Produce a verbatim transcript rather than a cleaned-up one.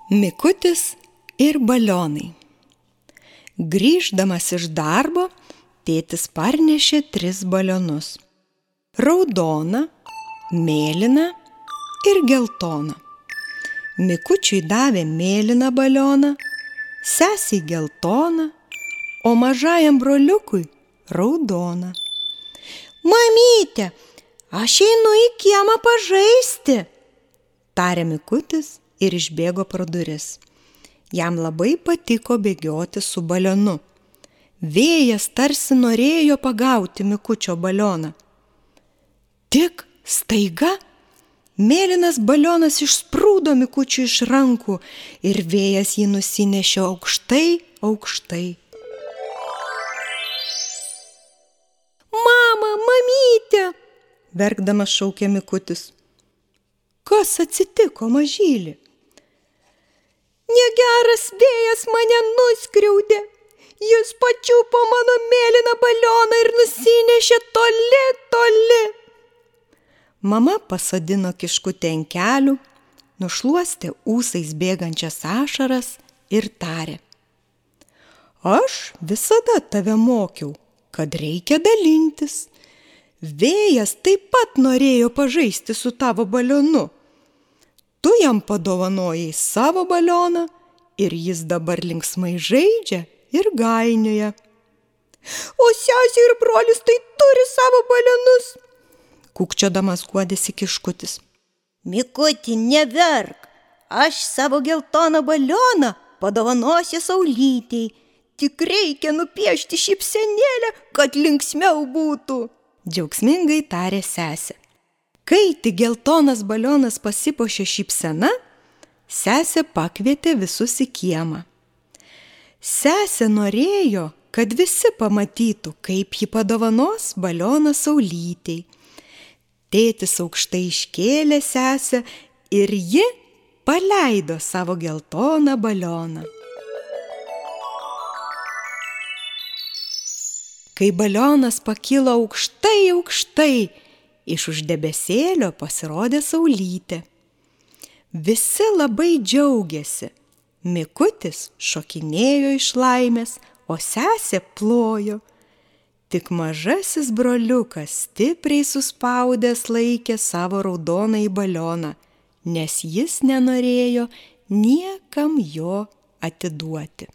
Mikutis ir balionai. Grįždamas iš darbo, tėtis parnešė tris balionus. Raudoną, mėlyną ir geltoną. Mikučiui davė mėlyną balioną, sesei geltoną, o mažajam broliukui raudoną. Mamyte, aš einu į kiemą pažaisti, tarė Mikutis ir išbėgo pro duris. Jam labai patiko bėgioti su balionu. Vėjas tarsi norėjo pagauti Mikučio balioną. Tik staiga mėlynas balionas išsprūdo Mikučiui iš rankų ir vėjas jį nusinešė aukštai, aukštai. Mama, mamyte, verkdamas šaukė Mikutis. Kas atsitiko, mažyli? Negeras vėjas mane nuskriaudė. Jis pačiupo mano mėlyną balioną ir nusinešė toli, toli. Mama pasodino kiškutę ant kelių, nušluostė ūsais bėgančias ašaras ir tarė. Aš visada tave mokiau, kad reikia dalintis. Vėjas taip pat norėjo pažaisti su tavo balionu. Tu jam padovanojai savo balioną ir jis dabar linksmai žaidžia ir gainioja. O sesė ir brolis tai turi savo balionus, kūkčiodamas guodėsi kiškutis. Mikuti, neverk, aš savo geltoną balioną padovanosiu Saulytei. Tik reikia nupiešti šypsenėlę, kad linksmiau būtų, džiaugsmingai tarė sesė. Kai tik geltonas balionas pasipuošė šypsena, sesė pakvietė visus į kiemą. Sesė norėjo, kad visi pamatytų, kaip ji padovanos balioną Saulytei. Tėtis aukštai iškėlė sesę ir ji paleido savo geltoną balioną. Kai balionas pakilo aukštai, aukštai, iš už debesėlio pasirodė Saulytė. Visi labai džiaugėsi. Mikutis šokinėjo iš laimės, o sesė plojo. Tik mažasis broliukas stipriai suspaudęs laikė savo raudonąjį balioną, nes jis nenorėjo niekam jo atiduoti.